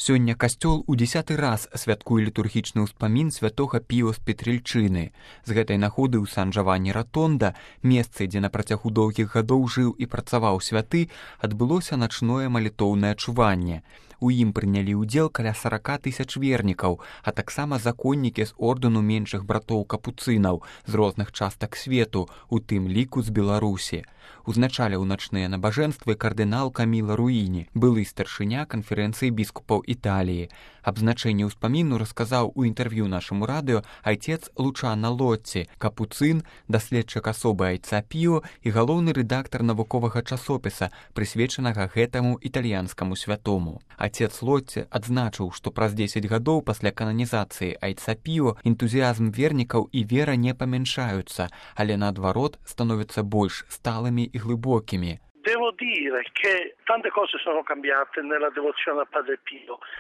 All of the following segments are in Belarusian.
Сёння касцёл у 10-ы раз святкуе літургічны ўспамін святога Піо з Петрыльчыны. З гэтай нагоды ў Сан-Джавані-Ратонда, месцы, дзе на працягу доўгіх гадоў жыў і працаваў святы, адбылося начное малітоўнае чуванне. У ім прынялі ўдзел каля 40 000 вернікаў, а таксама законнікі з ордэну меншых братоў капуцынаў з розных частак свету, у тым ліку з Беларусі. Узначаліў начныя набажэнствы кардынал Каміла Руіні, былы старшыня канферэнцыі біскупаў Італіі. Аб значэнні ўспаміну расказаў у інтэрв'ю нашаму радыё айцец Лучано Лотці, капуцын, даследчык асобы айца Піо і галоўны рэдактар навуковага часопіса, прысвечанага гэтаму італьянскаму святому. Отец Лотці адзначыў, што праз 10 гадоў пасля кананізацыі айца Піо энтузіязм вернікаў і вера не памяншаюцца, але наадварот становяцца больш сталымі і глыбокімі.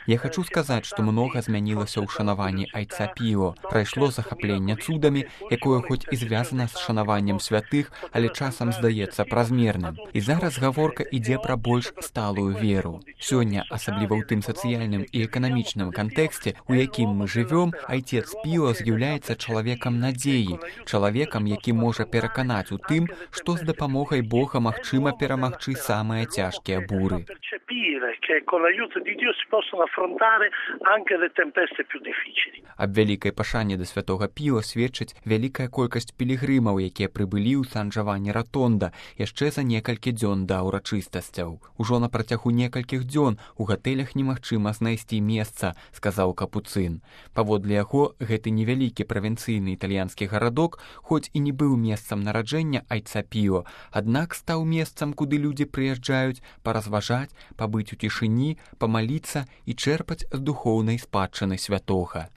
Я хочу сказаць, што многа змянілася ў шанаванні айца Піо. Прайшло захапленне цудамі, якое хоць і звязана з шанаваннем святых, але часам здаецца празмерным. І зараз гаворка ідзе пра больш сталую веру. Сёння, асабліва ў тым сацыяльным і эканамічным кантэксце, у якім мы жывём, айцец Піо з'яўляецца чалавекам надзеі, чалавекам, які можа пераканаць у тым, што з дапамогай Бога магчыма перамагчы самыя цяжкія буры. Аб вялікай пашане да святога Піо сведчыць вялікая колькасць пілігрымаў, якія прыбылі ў Сан-Джавані-Ратонда яшчэ за некалькі дзён да ўрачыстасцяў. Ужо на працягу некалькіх дзён у гатэлях немагчыма знайсці месца, сказаў капуцын. Паводле яго, гэты невялікі правінцыйны італьянскі гарадок, хоць і не быў месцам нараджэння айца Піо, аднак стаў месцам, куды людзі прыязджаюць паразважаць, пабыць у цішыні, памаліцца і чэрпаць з духоўнай спадчыны святога.